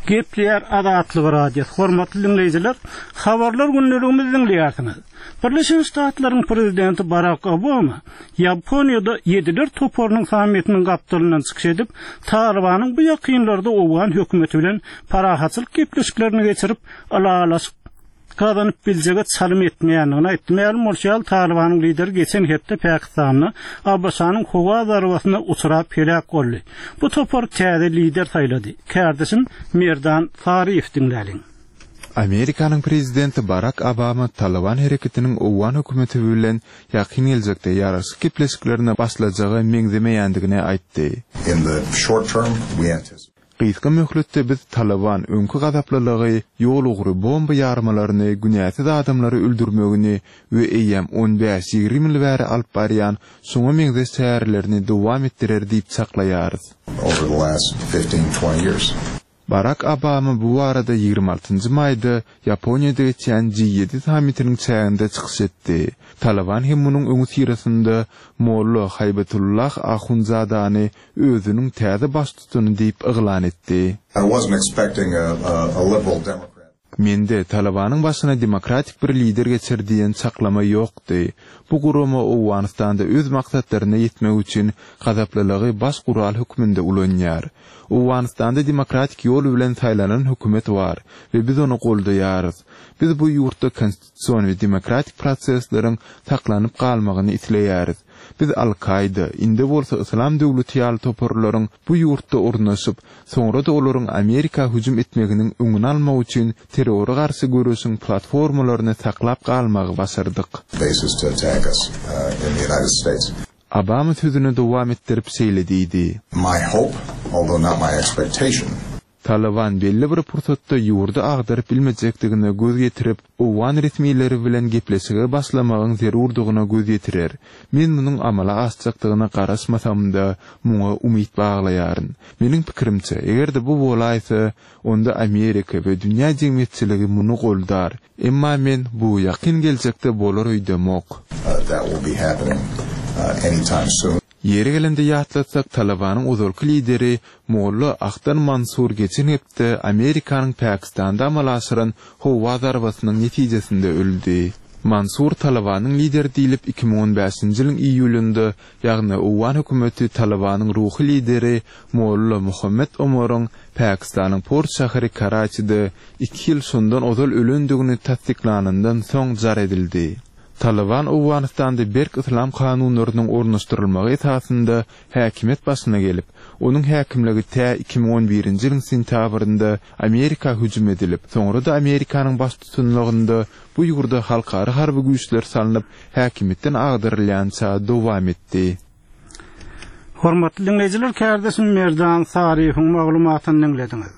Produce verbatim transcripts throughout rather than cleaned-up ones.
Gepleýär Azatlyk Radiosy. Hormatly diňleýjiler, habarlar gündeligimizi diňleýärsiňiz. Birleşen Ştatlaryň prezidenti Barak Obama Ýaponiýada ýediler toparynyň sammitiniň gapdalyndan çykyş edip, Talybanyň bu ýakynlarda owgan hökümeti bilen parahatçylyk gepleşiklerini geçirip, ylalaşyk gazanyp biljege çalym etmeýändigini aýtdy. Mälim bolşy ýaly, Talybanyň lideri geçen hepde Pakistanda ABŞ-nyň howa zarbasyna uçrap heläk boldy. Bu topar täze lider saýlady. Kärdeşim Merdan Saryýew diňläliň. Amerikanyň prezidenti Barak Obama Talyban hereketiniň owgan hökümeti bilen ýakyn geljekde ýaraşyk gepleşiklerine başlajaga meňzemeýändigini aýtdy. In the short term, we anticipate Gysga möhletde biz Talyban öňki gazaplylygy, ýol ugry bomba ýarmalaryny, günäsiz adamlary öldürmegini we eýýäm on bäş ýigrimi ýyl bäri alyp barýan şoňa meňzeş çärelerini dowam etdirer diýip çaklaýarys. Over the last fifteen, twenty years. Barak Obama bu barada ýigrimi altynjy maýda Ýaponiýada geçýän G ýedi sammitiniň çäginde çykyş etdi. Talyban hem munuň öňüsyrasynda Molla Haýbatullah Ahundzadany özüniň täze baştutany diýip yglan etdi. I wasn't expecting a, a, a liberal Democrat. Mende Talybanyň başyna demokratik bir lider geçer diýen çaklama ýokdy. Bu gurama Owganystanda öz maksatlaryna ýetmek üçin gazaplylygy baş gural hökmünde ulanýar. Owganystanda demokratik ýol bilen saýlanan hökümet bar we biz ony goldaýarys. Biz bu ýurtda konstitusion we demokratik prosesleriň saklanyp galmagyny isleýäris. Biz Al-Kaida, indi bolsa Islam döwleti ýaly toparlaryň bu ýurtda ornaşyp, soňra da olaryň Amerika hüjüm etmeginiň öňüni almak üçin terrora garşy göreşiň platformalaryny saklap galmagy başardyk. Bases to attack us, uh, in the United States. Obama sözüni dowam etdirip şeýle diýdi. My hope, although not my expectation. Talyban belli bir pursatda ýurdy agdaryp bilmejekdigine göz ýetirip, owgan resmileri bilen gepleşige başlamagyň zerurdygyna göz ýetirer. Men munuň amala aşjakdygyna garaşmasam-da, muňa umyt baglaýaryn. Meniň pikirimçe, eger-de bu bolaýsa, onda Amerika we dünýä jemgyýetçiligi muny goldar. Emma men bu ýakyn geljekde bolar öýdemok. Uh, that will be happening, uh, anytime soon. Ýeri gelende ýatlatsak, Talybanyň ozalky lideri Molla Ahtar Mansur geçen hepde Amerikanyň Pakistanda amala aşyran howa zarbasynyň netijesinde öldi. Mansur Talybanyň lideri diýlip iki müň on bäşinji ýylyň iýulynda, ýagny owgan hökümeti Talybanyň ruhy lideri Molla Muhammed Omaryň Pakistanyň port şäheri Karaçide iki ýyl şondan ozal ölendigini tassyklanyndan soň jar edildi. Talyban Owganystanda berk islam kanunlarynyň ornaşdyrylmagy esasynda häkimiýet başyna gelip, onuň häkimligi tä iki müň on birinji ýylyň sentýabrynda Amerika hüjüm edilip, soňra da Amerikanyň baştutanlygynda bu ýurda halkara harby güýçler salnyp, häkimiýetden agdarylýança dowam etdi. Hormatly dinleýjiler, kärdeşim Merdan Saryýewiň maglumatyny diňlediňiz.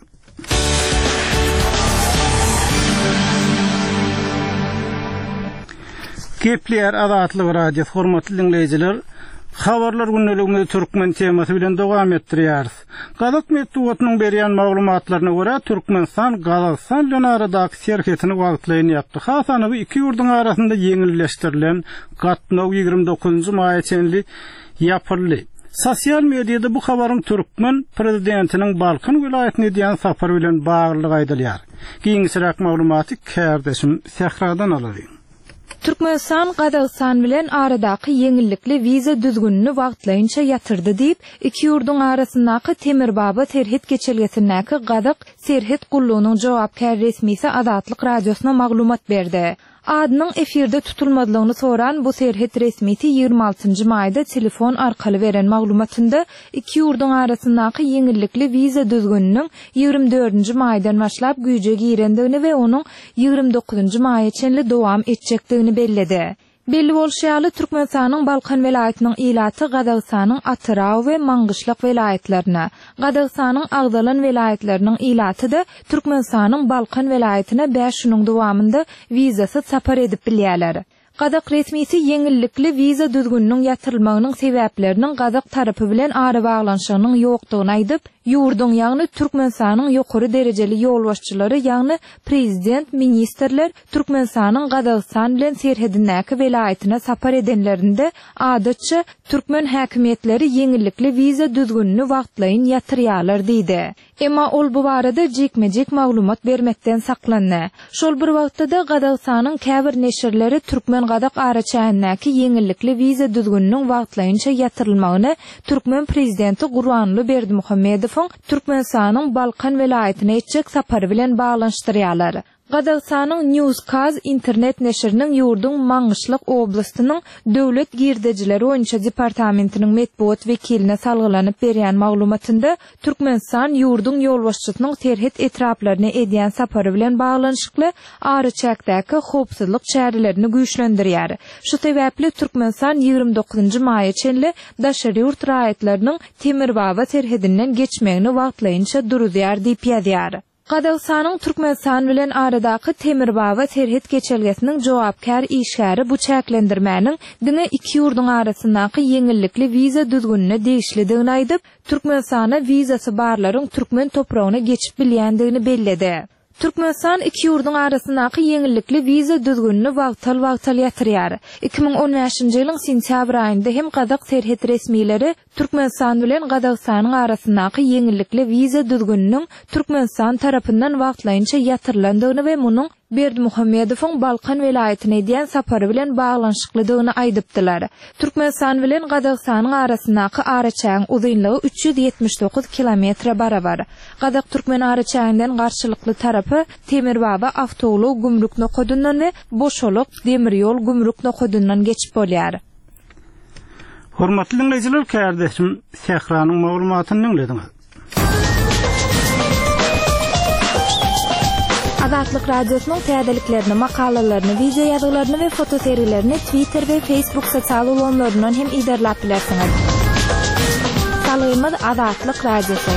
Gepleýär Azatlyk Radiosy, hormatly dinleýjiler, habarlar gündeligimizi türkmen temasy bilen dowam etdirýäris. Gazak metbugatynyň berýän maglumatlaryna görä Türkmenistan Gazagystan bilen aradaky serhetini wagtlaýyn ýapdy. Has anygy iki ýurduň arasynda ýeňilleşdirilen gatnaw ýigrimi dokuzynjy maýa çenli ýapyldy. Sosial mediada bu habaryň türkmen prezidentiniň Balkan welaýatyna edýän sapary bilen baglylygy aýdylýar. Giňişräk maglumaty kärdeşim Sähradan alalyň. Türkmenistan Gazagystan bilen aradaky ýeňillikli wiza düzgünini wagtlaýynça ýatyrdy diýip, iki ýurduň arasyndaky Temirbaba serhet geçelgesindäki Gazak serhet gullugynyň jogapkär resmisi Azatlyk Radiosyna maglumat berdi. Adynyň efirde tutulmazlygyny soran bu serhet resmisi ýigrimi altynjy maýda telefon arkaly beren maglumatynda iki ýurduň arasyndaky ýeňillikli wiza düzgüniniň ýigrimi dördünji maýdan başlap güýje girendigini we onuň ýigrimi dokuzynjy maýa çenli dowam etjekdigini belledi. Belli bolşy ýaly, Türkmenistanyň Balkan welaýatynyň ilaty Gazagystanyň Atyrau we Maňgyşlak welaýatlaryna, Gazagystanyň agzalan welaýatlarynyň ilaty da Türkmenistanyň Balkan welaýatyna bäş günüň dowamynda wizasyz sapar edip bilýärler. Gazak resmisi ýeňillikli wiza düzgüniniň ýatyrylmagynyň sebäpleriniň gazak tarapy bilen arabaglanyşygynyň ýokdugyny aýdyp, ýurduň, ýagny Türkmenistanyň ýokary derejeli ýolbaşçylary, ýagny prezident, ministrler Türkmenistanyň Gazagystan bilen serhedindäki welaýatyna sapar edenlerinde adatça türkmen häkimiýetleri ýeňillikli wiza düzgünini wagtlaýyn ýatyrýarlar diýdi. Emma ol bu barada jikme-jik maglumat bermekden saklandy. Şol bir wagtda-da Gazagystanyň käbir neşirleri türkmen-gazak araçägindäki ýeňillikli wiza düzgüniniň wagtlaýynça ýatyrylmagyny türkmen prezidenti Gurbanguly Berdimuhamedowyň Türkmenistanyň Balkan welaýatyna etjek sapary bilen baglanyşdyrýarlar. Gazagystanyň Newskaz internet neşiriniň ýurduň Maňgyşlak oblastynyň döwlet girdejileri boýunça departamentiniň metbugat wekiline salgylanyp berýän maglumatynda Türkmenistan ýurduň ýolbaşçysynyň serhet etraplaryna edýän sapary bilen baglanyşykly araçäkdäki howpsuzlyk çärelerini güýçlendirýär. Şu sebäpli Türkmenistan ýigrimi dokuzynjy maýa çenli daşary ýurt raýatlarynyň Temirbaba serhedinden geçmegini wagtlaýynça duruzýar diýip ýazýar. Gazagystanyň Türkmenistan bilen aradaky Temirbaba serhet geçelgesiniň jogapkär işgäri bu çäklendirmäniň diňe iki ýurduň arasyndaky ýeňillikli wiza düzgünine degişlidigini aýdyp, Türkmenistana wizasy barlaryň türkmen topragyna geçip bilýändigini belledi. Türkmenistan iki ýurduň arasyndaky ýeňillikli wiza düzgünini wagtal-wagtal ýatyrýar. iki müň on bäşinji ýylyň sentýabr aýynda hem Gazak serhet resmileri Türkmenistan bilen Gazagystanyň arasyndaky ýeňillikli wiza düzgüniniň Türkmenistan tarapyndan wagtlaýynça ýatyrylandygyny we munuň Berdimuhamedowyň Balkan welaýatyna edýän sapary bilen baglanyşyklydygyny aýdypdylar. Türkmenistan bilen Gazagystanyň arasyndaky araçägiň uzynlygy üç ýüz ýetmiş dokuz kilometre barabar. Gazak-Türkmen araçäginden garşylykly tarapy Temirbaba awtoulag gümrük nokadyndan we Boşalak demir ýol gümrük nokadyndan geçip bolýar. Hormatly dinleýjiler, kärdeşim Sähranyň maglumatyny dinlediňiz. Azatlyk Radiosynyň täzeliklerini, makalalaryny, video ýazgylaryny we fotosergilerini Twitter we Facebook sosial ulgamlaryndan hem iderläp bilersiňiz. Salgymyz Azatlyk Radiosy.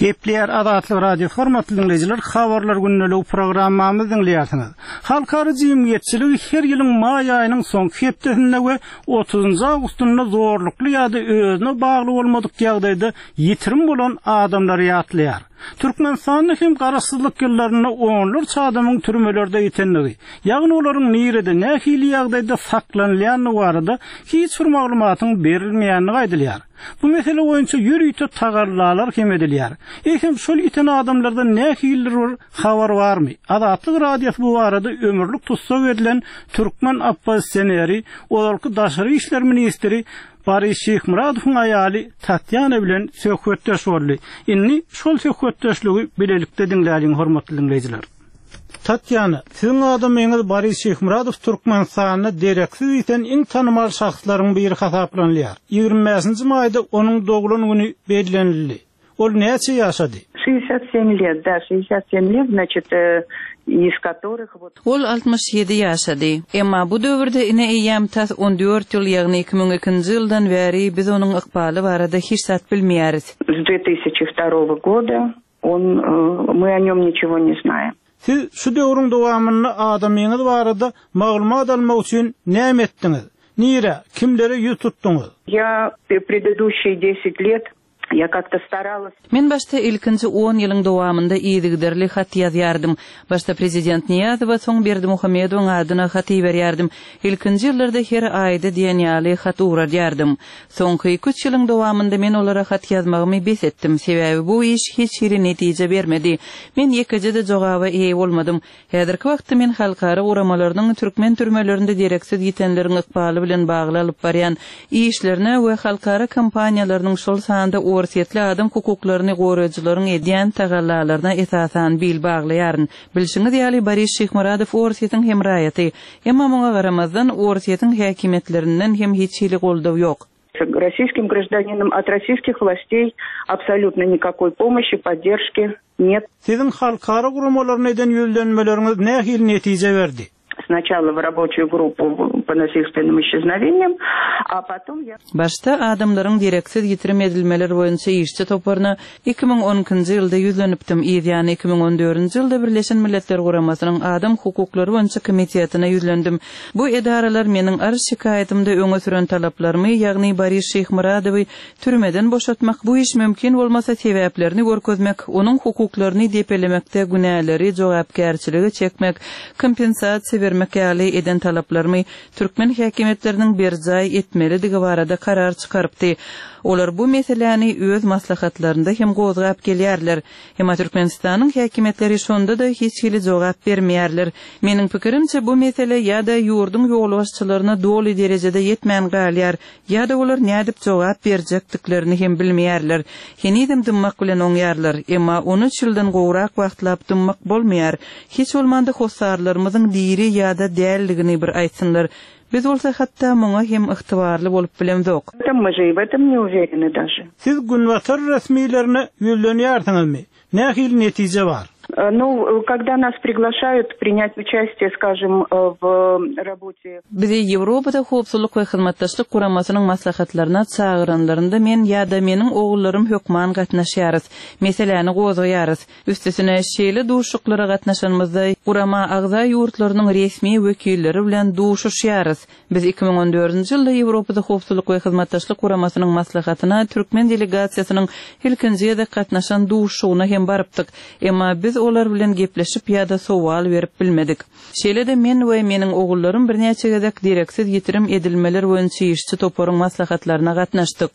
Gepleýär Azatlyk Radiosy hormatly dinleýjiler, habarlar gündelik programmamyzy dinleýärsiňiz. Halkara jemgyýetçiligi her ýylyň maý aýynyň soňky hepdesinde we otuzynjy awgustynda zorlukly ýa-da özüne bagly bolmadyk ýagdaýda ýitirim bolan adamlary ýatlaýar. Türkmenistanda hem garaşsyzlyk ýyllarynda onlarça adamyň türmelerde ýitenligi, ýagny olaryň nirede nähili ýagdaýda saklanylýandygy barada hiç bir maglumatyň berilmeýändigi aýdylýar. Bu mesele boýunça ýörite tagallalar hem edilýär. Ehem şol ýiten adamlardan nähilidir bir habar barmy? Azatlyk Radiosy bu barada ömürlik tussag edilen türkmen oppozisioneri, ozalky daşary işler ministri Boris Şyhmyradowyň aýaly Tatýana bilen söhbetdeş boldy. Indi şol söhbetdeşligi bilelikde diňläliň hormatly dinleýjiler. Tatýana, siziň adamyňyz Boris Şyhmyradow Türkmenistanda dereksiz ýiten iň tanymal şahslaryň biri hasaplanylýar. Ýigrimi bäşinji maýda onuň doglan güni bellenildi. Ol näçe ýaşady? Шестьдесят семь лет, да, шестьдесят семь лет, значит, э, из которых вот Ol altmyş ýedi ýaşady. Emma bu döwürde ine eýýäm tas on dört ýyl, ýagny iki müň ikinji ýyldan bäri biz onuň ykbaly barada hiç zat bilmeýäris. С две тысячи второго года он, э, мы о нем ничего не знаем. Siz şu döwrüň dowamynda adamyňyz barada maglumat almak üçin näme etdiňiz? Nire, kimlere ýüz tutduňyz? Я предыдущие десять лет я как-то старалась. Men başda ilkinji on ýylyň dowamynda yzygiderli hat ýazýardym. Başda prezident Niýazowa, soň Berdimuhamedowyň adyna hat iberýärdim. Ilkinji ýyllarda her aýda diýen ýaly hat ugradýardym. Soňky iki üç ýylyň dowamynda men olara hat ýazmagymy bes etdim. Sebäbi bu iş hiç hili netije bermedi. Men ýekeje-de jogaba eýe bolmadym. Häzirki wagtda men halkara guramalarynyň türkmen türmelerinde dereksiz ýitenleriň ykbaly bilen bagly alyp barýan işlerine we halkara kompaniýalarynyň şol sanda Orsýetli adam hukuklaryny goraýjylaryň edýän tagallalaryna esasan bil baglaýaryn. Bilşiňiz ýaly Boris Şyhmyradow Orsýetiň hem raýaty. Emma muňa garamazdan Orsýetiň häkimiýetlerinden hem hiç hili goldaw ýok. Российским гражданином от российских властей абсолютно никакой помощи, поддержки нет. Siziň halkara guramalaryna eden ýüzlenmeleriňiz nähili netije berdi? С Сначала в рабочую группу по насильственным исчезновениям, а потом я... Başda adamlaryň dereksiz ýitirim edilmeleri boýunça işçi toparyna iki müň on ikinji ýylda ýüzlenipdim. Ýany iki müň on dördünji ýylda Birleşen Milletler Guramasynyň Adam hukuklary boýunça komitetine ýüzlendim. Bu edaralar meniň arz şikaýatymda öňe süren talaplarymy, ýagny Boris Şeýhmyradowy türmeden boşatmak, bu iş mümkin bolmasa sebäplerini görkezmek, onuň hukuklaryny depelemekde günäleri jogapkärçiligi çekmek, kompensasiýa bermek ýaly eden talaplarymy türkmen häkimiýetleriniň berjaý etmelidigi barada karar çykarypdy. Olar bu meseläni öz maslahatlarynda hem gozgap gelýärler. Emma Türkmenistanyň häkimiýetleri şonda da hiç hili jogap bermeýärler. Meniň pikirimçe bu mesele ýa-da ýurduň ýolbaşçylaryna doly derejede ýetmän galýar, ýa-da olar nädip jogap berjekdiklerini hem bilmeýärler. Henizem dymmak bilen oňýarlar, emma on üç ýyldan gowrak wagtlap dymmak bolmaýar. Hiç bolmanda hossarlarymyzyň diri ýa-da dälligini bir aýtsynlar. Biz bolsa hatda muňa hem ygtybarly bolup bilemzok. Мы же и в этом не уверены даже. Siz günbatar resmilerine ýüzlenýärsiňizmi? Nähili netije bar? Ну, когда нас приглашают принять участие, скажем, в работе... Bizi Ýewropada howpsuzlyk we hyzmatdaşlyk guramasynyň maslahatlaryna çagyranlarynda men ýa-da meniň ogullarym hökman gatnaşýarys. Meseläni gozgaýarys. Üstesine şeýle duşuşyklara gatnaşanymyzda gurama agza ýurtlarynyň resmi wekilleri bilen duşuşýarys. Biz iki müň on dördünji ýylda Ýewropada howpsuzlyk we hyzmatdaşlyk guramasynyň maslahatyna türkmen delegasiýasynyň ilkinji gezek gatnaşan duşuşygyna hem barypdyk. Emma biz olar bilen gepleşip ýa-da sowal berip bilmedik. Şeýle-de men we meniň ogullarym birnäçe gezek dereksiz ýitirim edilmeler boýunça işçi toparyň maslahatlaryna gatnaşdyk.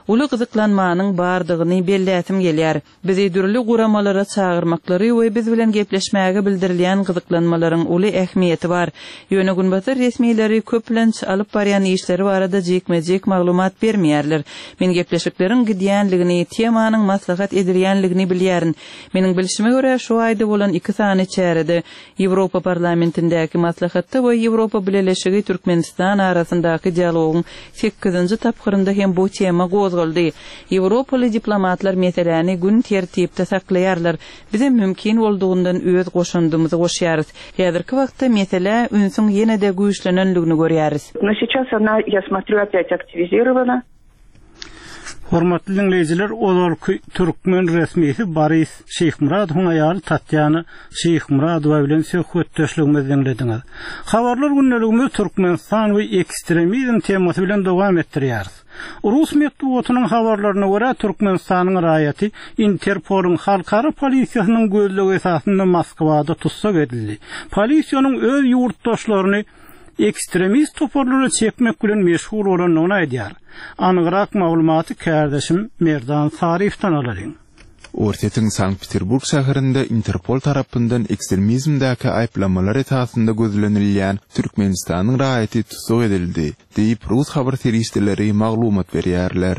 Uly gyzyklanmanyň bardygyny belläsim gelýär. Bizi dürli guramalara çagyrmaklary we biz bilen gepleşmäge bildirilýän gyzyklanmalaryň uly ähmiýeti bar. Ýöne günbatar resmileri köplenç alyp barýan işleri barada jikme-jik maglumat bermeýärler. Men gepleşikleriň gidýänligini, temanyň maslahat edilýänligini bilýärin. Meniň bilşime görä şu aýda bolan iki sany çärede Ýewropa parlamentindäki maslahatda we Ýewropa Bileleşigi Türkmenistan arasyndaky dialogyň sekizinji tapgyrynda hem bu tema gozgaldy. Ýewropaly diplomatlar meseläni gün tertipde saklaýarlar. Bize mümkin boldugynyň öz goşundymyzy goşýarys. Häzirki wagtda mesele ünsüň ýene-de güýçlenenligini görýäris. Но сейчас она, я смотрю, опять активизирована. Hormatly dinleýjiler, ozalky türkmen resmisi Boris Şeýhmyradowyň aýaly Tatýana Şeýhmyradowa bilen söhbetdeşligimizi dinlediňiz. Habarlar gündeligimiz Türkmenistan we ekstremizm temasy bilen dowam etdirýäris. Rus metbugatynyň habarlaryna görä Türkmenistanyň raýaty Interpolyň halkara polisiýasynyň gözlegi esasynda Moskwada tussag edildi. Polisiýanyň öz ýurtdaşlaryny ekstremist toparlara çekmek bilen meşgul bolandygyny aýdýar. Anygyrak maglumaty kärdeşim Merdan Saryfdan alalyň. Orsýetiň Sankt-Peterburg şäherinde Interpol tarapyndan ekstremizmdäki aýyplamalar esasynda gözlenilýän Türkmenistanyň raýaty tussag edildi, diýip Rus habar serişdeleri maglumat berýärler.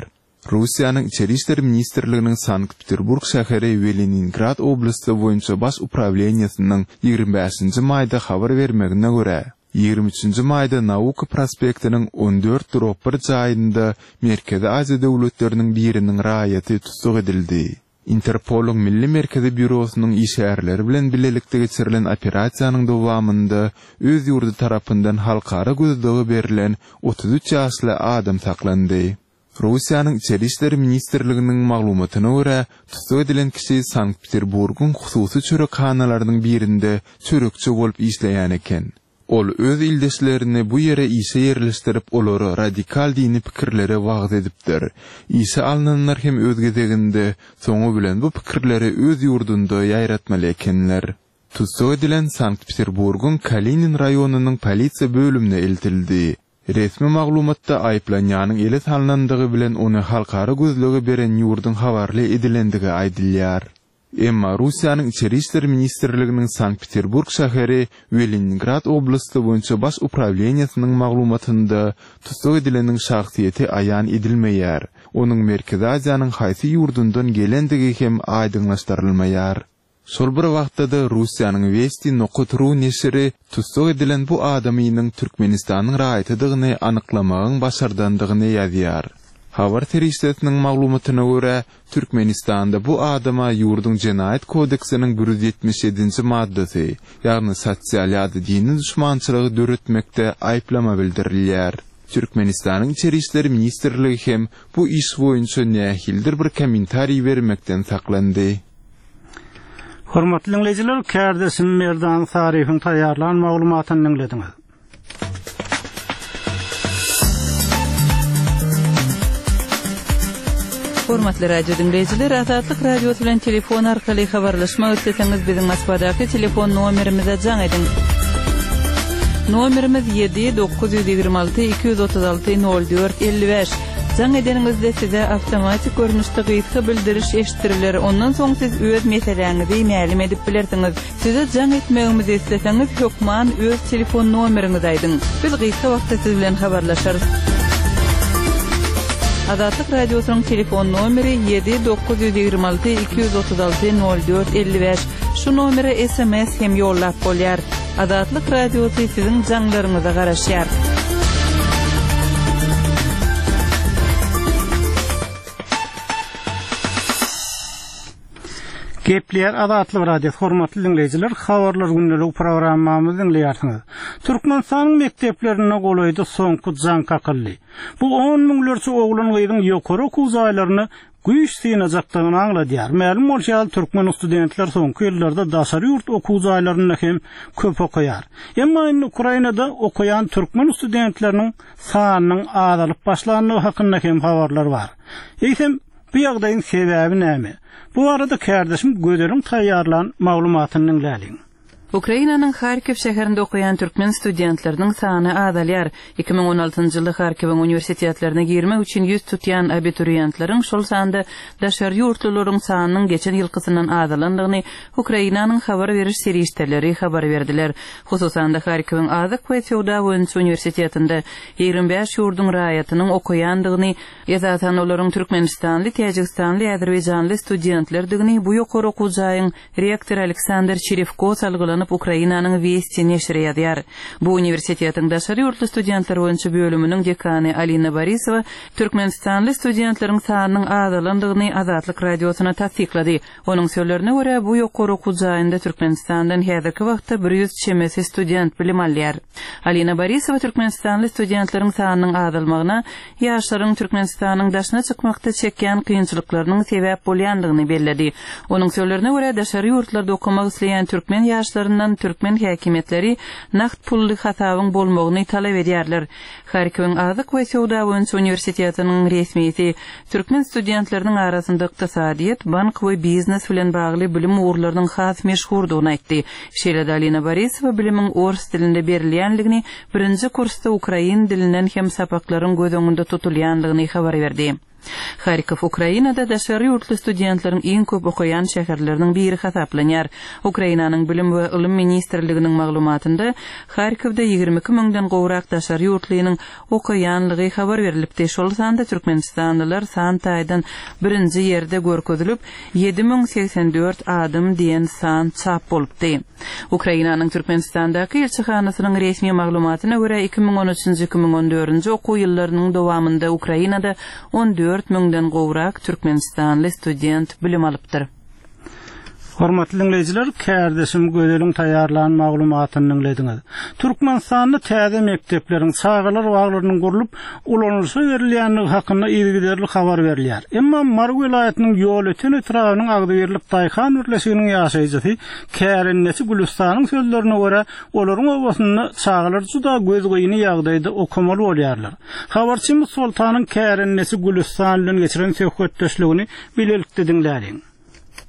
Russiýanyň Içeri işler ministrliginiň Sankt-Peterburg şäheri we Leningrad oblasty boýunça baş uprawleniýasynyň ýigrimi bäşinji maýda habar bermegine görä, ýigrimi üçünji maýda Nauka prospektiniň on dört drop bir jaýynda Merkezi Aziýa döwletleriniň biriniň raýaty tussag edildi. Interpolyň Milli Merkezi Býurosynyň işgärleri bilen bilelikde geçirilen operasiýanyň dowamynda öz ýurdy tarapyndan halkara gözlegi berlen otuz üç ýaşly adam saklandy. Russiýanyň Içeri işler ministrliginiň maglumatyna görä, tussag edilen kişi Sankt-Peterburgyň hususy çörekhanalarynyň birinde çörekçi bolup işleýän eken. Ol öz ildeşlerini bu ýere işe ýerleşdirip, olara radikal dini pikirlere wagz edipdir. Işe alynanlar hem öz gezeginde soňy bilen bu pikirleri öz ýurdunda ýaýratmaly ekenler. Tussag edilen Sankt-Peterburgyň Kalinin raýonynyň polisiýa bölümine eltildi. Resmi maglumatda aýyplanýanyň ele salynandygy bilen ony halkara gözlegi beren ýurduň habarly edilendigi aýdylýar. Emma Russiýanyň Içeri işler ministrliginiň Sankt-Peterburg şäheri we Leningrad oblasty boýunça baş uprawleniýasynyň maglumatynda tussag edileniň şahsyýeti aýan edilmeýär. Onuň Merkezi Aziýanyň haýsy ýurdundan gelendigi hem aýdyňlaşdyrylmaýar. Şol bir wagtda-da Russiýanyň Vesti nokta ru neşiri tussag edilen bu adamynyň Türkmenistanyň raýatydygyny anyklamagyň başardandygyny ýazýar. Habar serişdesiniň maglumatyna görä, Türkmenistanda bu adama ýurduň Jenaýat kodeksiniň bir ýüz ýetmiş ýedinji maddasy, ýagny sosial ýa-da dini duşmançylygy döretmekde aýyplama bildirilýär. Türkmenistanyň Içeri işler ministrligi hem bu iş boýunça nähilidir bir kommentariý bermekden saklandy. Hormatly diňleýjiler, kärdeşim Merdan Saryýewiň taýýarlan maglumatyny diňlediňiz. Hormatly radio diňleýjiler, Azatlyk Radiosy bilen telefon arkaly habarlaşmak isleseňiz biziň Moskwadaky telefon nomerimize jaň ediň. Nomerimiz ýedi dokuz ýüz ýigrimi alty iki ýüz otuz alty nol dört elli bäş. Jaň edeniňizde size awtomatik görnüşde gysga bildiriş eşitdiriler. Ondan soň siz öz meseläňizi mälim edip bilersiňiz. Size jaň etmegimizi isleseňiz hökman öz telefon nomeriňizi aýdyň. Biz gysga wagtda siz bilen habarlaşarys. Azatlyk Radiosynyň telefon nomeri ýedi dokuz ýüz ýigrimi alty iki ýüz otuz alty nol dört elli bäş. Şu nomere S M S hem ýollap bolýar. Azatlyk Radiosy siziň jaňlaryňyza garaşýar. Gepleýär Azatlyk Radiosy hormatly diňleýjiler, habarlar gündelik programmamyzy diňleýärsiňiz. Türkmenistanyň mekdeplerinde golaýda soňky jaň kakyldy. Bu on müňlerçe oglan gyzyň ýokary okuw jaýlaryna güýç synajakdygyny aňladýar. Mälim bolşy ýaly türkmen studentler soňky ýyllarda daşary ýurt okuw jaýlarynda hem köp okaýar. Emma indi Ukrainada okaýan türkmen studentleriniň sanynyň azalyp başlandygy hakynda hem habarlar bar. Eýsem, bu ýagdaýyň sebäbi näme? Bu arada kärdeşim Gözeliň taýýarlan maglumatyny diňläliň. Ukrainanyň Harkiw şäherinde okaýan türkmen studentleriniň sany azalýar. Iki müň on altynjy ýylda Harkiwiň uniwersitetlerine girmek üçin ýüz tutýan abituriyentleriň şol sanda daşary ýurtlularyň sanynyň geçen ýylkysyndan azalandygyny Ukrainanyň habar beriş serişdeleri habar berdiler. Hususan da Harkiwiň Azyk we Söwda boýunça uniwersitetinde ýigrimi bäş ýurduň raýatynyň okaýandygyny, esasan olaryň Türkmenistanly, Täjigistanly, Azerbaýjanly studentlerdigini bu ýokary okuw jaýyň rektory Aleksandr Çerewko salgylanyp Ukrainanyň Westi neşiri ýazýar. Bu uniwersitetiň daşary ýurtly studentler boýunça bölüminiň dekany Alina Borisowa Türkmenistanly studentleriň sanynyň azalandygyny Azatlyk Radiosyna tassyklady. Onuň sözlerine görä, bu ýokary okuw jaýynda Türkmenistandan häzirki wagtda bir ýüz çemesi student bilim alýar. Alina Borisowa Türkmenistanly studentleriň sanynyň azalmagyna ýaşlaryň Türkmenistanyň daşyna çykmakda çekýän kynçylyklarynyň sebäp bolýandygyny belledi. Onuň sözlerine görä, daşary ýurtlarda okamak isleýän türkmen ýaşlaryndan türkmen häkimiýetleri nagt pully hasabyň bolmagyny talap edýärler. Harkiwiň Azyk we Söwda boýunça uniwersitetiniň resmisi türkmen studentleriniň arasynda ykdysadyýet, bank we biznes bilen bagly bilim ugurlarynyň has meşhurdygyny aýtdy. Şeýle-de Alina Borisowa bilimiň ors dilinde berilýänligini, birinji kursda ukrain dilinden hem sapaklaryň göz öňünde tutulýandygyny habar berdi. Harkov Ukrainada daşary ýurtly studentleriň iň köp okaýan şäherleriniň biri hasaplanýar. Ukrainanyň Bilim we Ylym ministrliginiň maglumatynda Harkovda ýigrimi iki müňden gowrak daşary ýurtlynyň okaýanlygy habar berilipdi. Şol sanda Türkmenistanlylar san taýdan birinji ýerde görkezilip, ýedi müň segsen dört adam diýen san çap bolupdy. Ukrainanyň Türkmenistandaky elçihanasynyň resmi maglumatyna görä iki müň on üçünji iki müň on dördünji okuw ýyllarynyň dowamynda Ukrainada on dört müňden gowrak Türkmenistanly student bilim alypdyr. Hormatly diňleýjiler, kärdeşim Gözeliň taýýarlan maglumatyny diňlediňiz. Türkmenistanda täze mekdepleriň, çagalar baglarynyň gurlup ulanylyşa berilýändigi hakynda yzygiderli habar berilýär. Emma Mary welaýatynyň Ýolöten etrabynyň Agzybirlik Daýhan birleşiginiň ýaşaýjysy Kärendesi Gülüstanyň sözlerine görä, olaryň obasynda çagalar juda gözgyny ýagdaýda okamaly bolýarlar. Habarçymyz Soltanyň Kärendesi Gülüstan bilen geçiren söhbetdeşligini bilelikde diňläliň.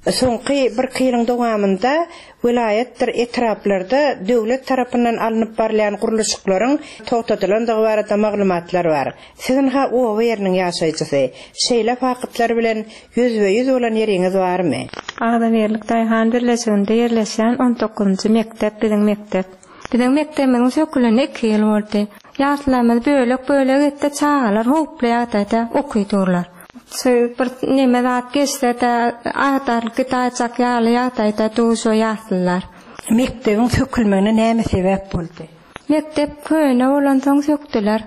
Soňky bir ýylyň dowamynda welaýatdyr etraplarda döwlet tarapyndan alnyp barylýan gurluşyklaryň togtadylandygy barada maglumatlar bar. Siziň ha oba ýeriniň ýaşaýjysy, şeýle faktlar bilen ýüzbe-ýüz bolan ýeriňiz barmy? Agzybirlik Daýhan birleşiginde ýerleşen on dokuzynjy mekdep biziň mekdep. Biziň mekdebimiziň söküleni iki ýyl boldy. Ýaşlarymyz bölek-bölek etdi, çagalar howply ýagdaýda okudurlar. Şu bir neme zat geçse de agdarlyk gidajak ýaly ýagdaýda duşa ýasdylar. Mekdebiň sökülmegine näme sebäp boldy? Mekdep köne bolansoň sökdüler.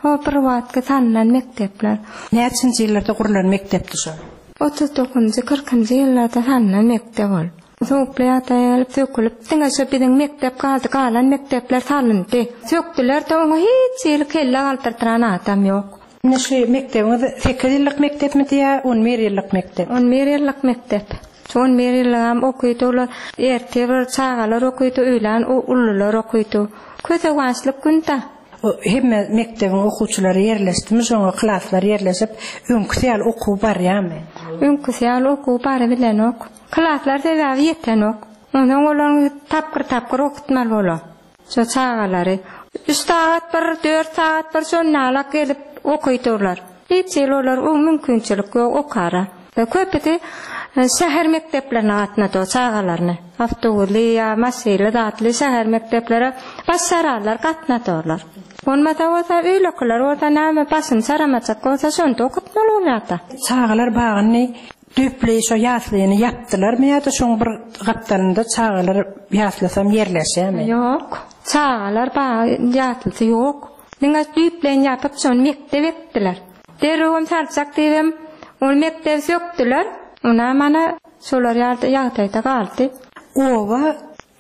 O bir wagtky salnan mekdepler. Näçinji ýyllarda gurlan mekdepdi şo? Otuz dokuzynjy, kyrkynjy ýyllarda salnan mekdep ol. Sowukly ýagdaýa gelip sökülip, diňe şo biziň mekdep galdy, galan mekdepler salyndy. Sökdüler-de oňa hiç hili kelle galdyrdyran adam ýok. Indi şu mekdebiňiz sekiz ýyllyk mekdepmidi ýa on bir ýyllyk mekdep? On bir ýyllyk mekdep. Şu on bir ýyllygam okydy olar. Ertir bir çagalar okydy, öýlän ulular okydy. Kösewançlyk günde. O hemme mekdebiň okuwçylary ýerleşdimi, şoňa klaslar ýerleşip, öňküsi ýaly okuw barýarmy? Öňküsi ýaly okuw barybilenok. Klaslar sebäbi ýetenok. Ondan olaryň tapgyr-tapgyr okutmaly bolar. Şo çagalary. Üç sagat bir, dört sagat bir şonalak gelip okuydular. Hiç ýyl olar o mümkinçilik ýok okara. Köpüsi şäher mekdeplerine gatnady o çagalaryny. Awtobusly ýa maşynly zatly şäher mekdeplere başararlar gatnadylar. Bolmasa bolsa öýlekiler bolsa näme başyny çaramajak bolsa şonda okutmaly bolýardy. Çagalar bagyny düýpli şo ýaslyny ýapdylarmy ýa-da şoň bir gapdalynda çagalar ýaslasam ýerleşýärmi? Ýok. Çagalar bagy ýaslysy ýok. Diňe düýpleýin ýapyp şony mekdep etdiler. Derrewem salçak diýibem ony mekdep sökdüler. Ona mana şolar ýa-da ýagdaýda galdy. Oba,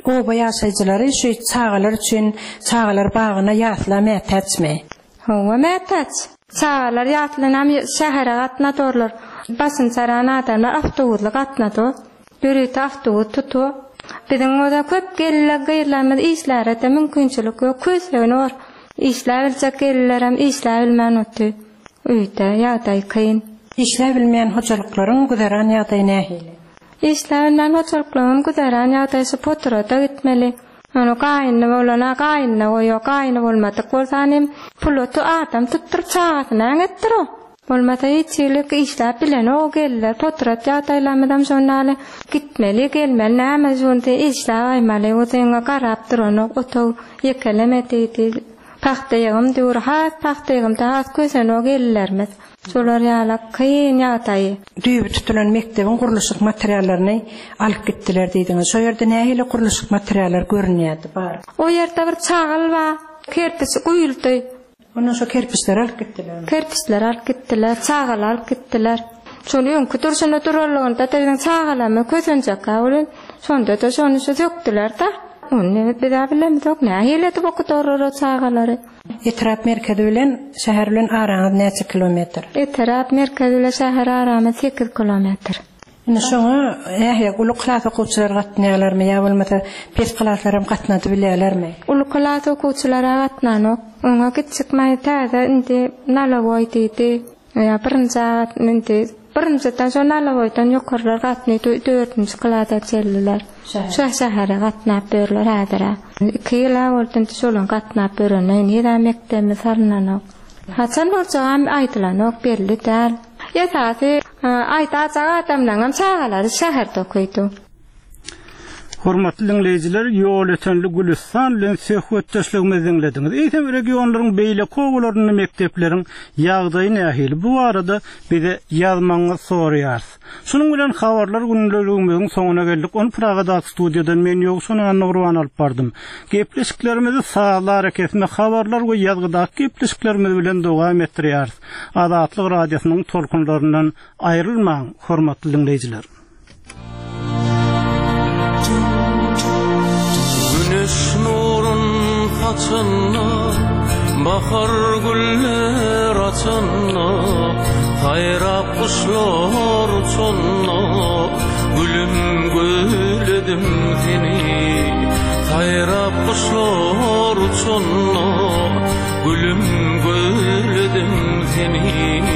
oba ýaşaýjylary şu çagalar üçin çagalar bagyna ýasla mätäçmi? Hawa, mätäç. Çagalar ýaslanam şähere gatnadorlar. Başyn çaran adamlar awtobusly gatnady. Ýörite awtobus tutu. Biziň oda köp gelirler, gyýrlarymyz işlere de mümkinçilik ýok. Kösegini or. Işläp biljek gelirlerem işläp bilmän oty. Öýde ýagdaý kyn. Işläp bilmeýän hojalyklaryň güzeran ýagdaýy nähili? Işläp bilmeýän hojalyklaryň güzeran ýagdaýy şu poturada gitmeli. Ony gaýyny bolana gaýynyna goýýar, gaýyny bolmadyk bolsa hem puloty adam tutduryp çagasyna äňetdir o. Bolmasa hiç ýylyk işläp bilen o gelirler. Poturat ýagdaýlarymyzam şondaly gitmeli, gelmeli, näme şonda işläp aýmaly, o zeňe garap duranok, otaw ýekeleme diýdi. Pahta ýygym diýur, has pahta ýygymda has kösen o gelirlerimiz. Şolar ýaly kyn ýagdaýy. Düýbi tutulan mekdebiň gurluşyk materiallaryny alyp gitdiler diýdiňiz. Şo ýerde nähili gurluşyk materiallar görünýärdi bar? O ýerde bir çagal bar, kerpiç guýuldy. Ondan şo kerpiçleri alyp gitdiler. Kerpiçleri alyp gitdiler, çagal alyp gitdiler. Şony öňkü durşuna duralygynda da biziň çagalamy kösenjek bolun. Şonda da şony şu sökdüler da. Ony biz bilemizok, nähili edip okudarlar o çagalary. Etrap merkezi bilen şäher bilen araňyz näçe kilometr? Etrap merkezi bilen şäher aramyz sekiz kilometr. Indi şoňa nähili uly klas okuwçylar gatnaýarlarmy ýa bolmasa pes klaslaram gatnady bilýärlermi? Uly klas okuwçylara gatnanok. Oňa gitjek maý täze indi nalawoý diýdi. Ýa birinji agat indi birinjiden şo nalawoýdan ýokarlar gatnaýdy, dördünji klasa çeldiler. Şo şähere gatnap berler häzir. Iki ýyl boldy indi şolaň gatnap berene, indi mekdebimiz salynanok. Haçan bolçagam aýdylanok, belli däl. Esasy aýdajak adamlaryň çagalary şäherde okydy. Hormatly dinleýjiler, ýol ötenli Gülüstan bilen söhbetdeşligimizi dinlediňiz. Eýsem regionlaryň beýleki obalarynda mekdepleriň ýagdaýy nähili? Bu barada bize ýazmagyňyzy soraýarys. Şunuň bilen habarlar günlerimiziň soňuna geldik. Ony Pragadaky studiýadan men Ýowşan Annagurban alyp bardym. Gepleşiklerimizi sazlar hareketinde habarlar we ýazgydaky gepleşiklerimiz bilen dowam etdirýäris. Azatlyk radiosynyň tolkunlaryndan aýrylmaň, hormatly dinleýjiler. Güneş nurun saçanda, bahar güller açanda, saýrap guşlar uçanda, gülüm gülledim seni. Saýrap guşlar uçanda, gülüm gülledim seni.